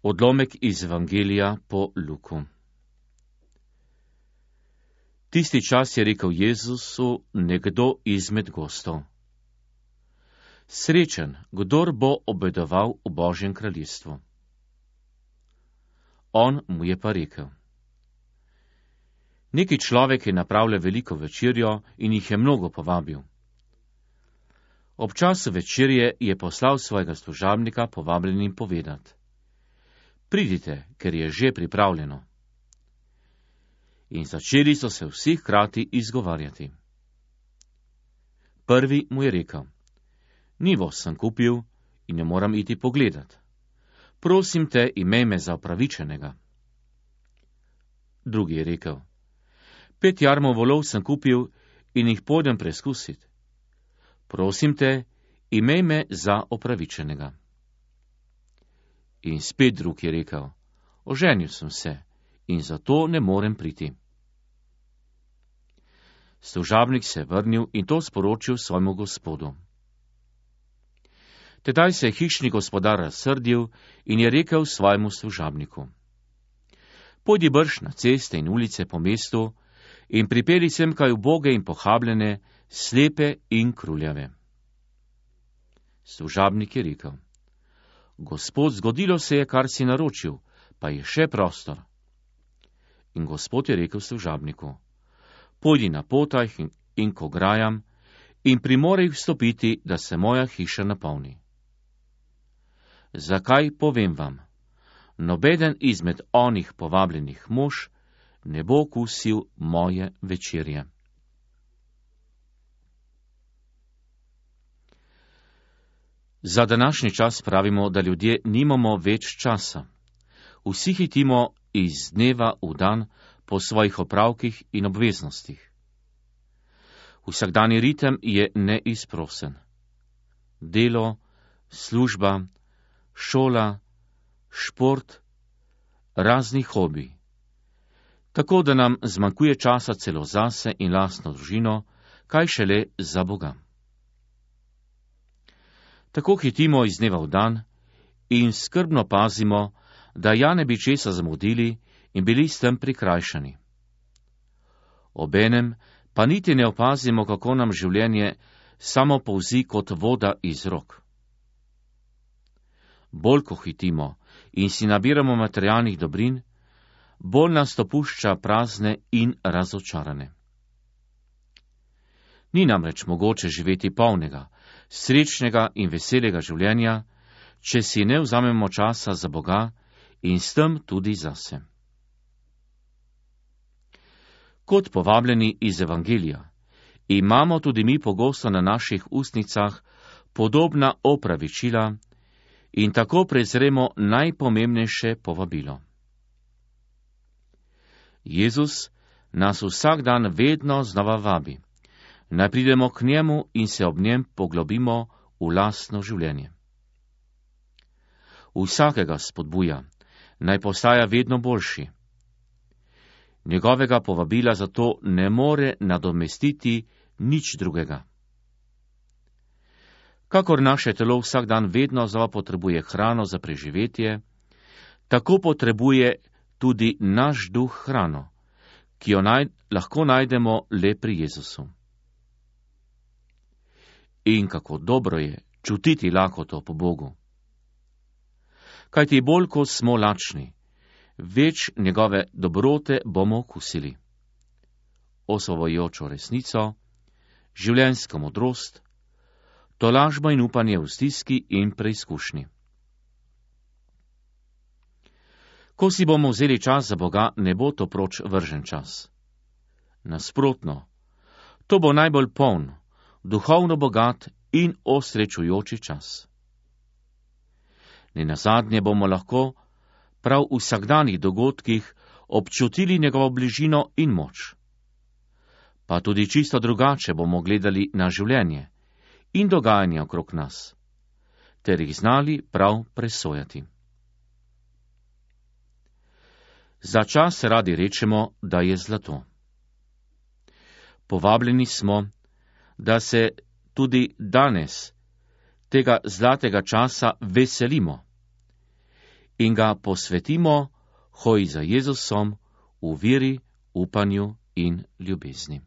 Odlomek iz Evangelija po Luku. Tisti čas je rekel Jezusu nekdo izmed gostov: Srečen, kdor bo obedoval v Božjem kraljestvu. On mu je pa rekel: Neki človek je napravljal veliko večerjo in jih je mnogo povabil. Ob času večerje je poslal svojega služabnika povabljenim povedati: Pridite, ker je že pripravljeno. In začeli so se vsi hkrati izgovarjati. Prvi mu je rekel: Nivo sem kupil in ne moram iti pogledat. Prosim te, imej me za upravičenega. Drugi je rekel: 5 jarmov volov sem kupil in jih pojdem preskusit. Prosim te, imej me za upravičenega. In spet drug je rekel: Oženil sem se in zato ne morem priti. Služabnik se je vrnil in to sporočil svojemu gospodu. Tedaj se je hišni gospodar razsrdil in je rekel svojemu služabniku: Pojdi brž na ceste in ulice po mestu in pripelji sem kaj uboge in pohabljene, slepe in kruljave. Služabnik je rekel: Gospod, zgodilo se je, kar si naročil, pa je še prostor. In gospod je rekel služabniku: Pojdi na potaj in k ograjam in primorej vstopiti, da se moja hiša napolni. Zakaj, povem vam, nobeden izmed onih povabljenih mož ne bo okusil moje večerje. Za današnji čas pravimo, da ljudje nimamo več časa. Vsi hitimo iz dneva v dan po svojih opravkih in obveznostih. Vsakdanji ritem je neizprosen. Delo, služba, šola, šport, razni hobi. Tako da nam zmanjkuje časa celo zase in lastno družino, kaj šele za Boga. Tako hitimo iz dneva v dan in skrbno pazimo, da ja ne bi česa zamudili in bili s tem prikrajšani. Obenem pa niti ne opazimo, kako nam življenje samo polzi kot voda iz rok. Bolj ko hitimo in si nabiramo materialnih dobrin, bolj nas to pušča prazne in razočarane. Ni namreč mogoče živeti polnega, srečnega in veselega življenja, če si ne vzamemo časa za Boga in s tem tudi zase. Kot povabljeni iz Evangelija imamo tudi mi pogosto na naših ustnicah podobna opravičila in tako prezremo najpomembnejše povabilo. Jezus nas vsak dan vedno znova vabi, naj pridemo k njemu in se ob njem poglobimo v lastno življenje. Vsakega spodbuja, naj postaja vedno boljši. Njegovega povabila zato ne more nadomestiti nič drugega. Kakor naše telo vsak dan vedno znova potrebuje hrano za preživetje, tako potrebuje tudi naš duh hrano, ki jo lahko najdemo le pri Jezusu. In kako dobro je čutiti lakoto po Bogu. Kajti bolj, ko smo lačni, več njegove dobrote bomo okusili. Osvobojočo resnico, življenjsko modrost, tolažbo in upanje v stiski in preizkušnji. Ko si bomo vzeli čas za Boga, ne bo to proč vržen čas. Nasprotno, to bo najbolj poln, duhovno bogat in osrečujoči čas. Nenazadnje bomo lahko prav v vsakdanjih dogodkih občutili njegovo bližino in moč. Pa tudi čisto drugače bomo gledali na življenje in dogajanje okrog nas, ter jih znali prav presojati. Za čas radi rečemo, da je zlato. Povabljeni smo, da se tudi danes tega zlatega časa veselimo in ga posvetimo hoji za Jezusom v veri, upanju in ljubezni.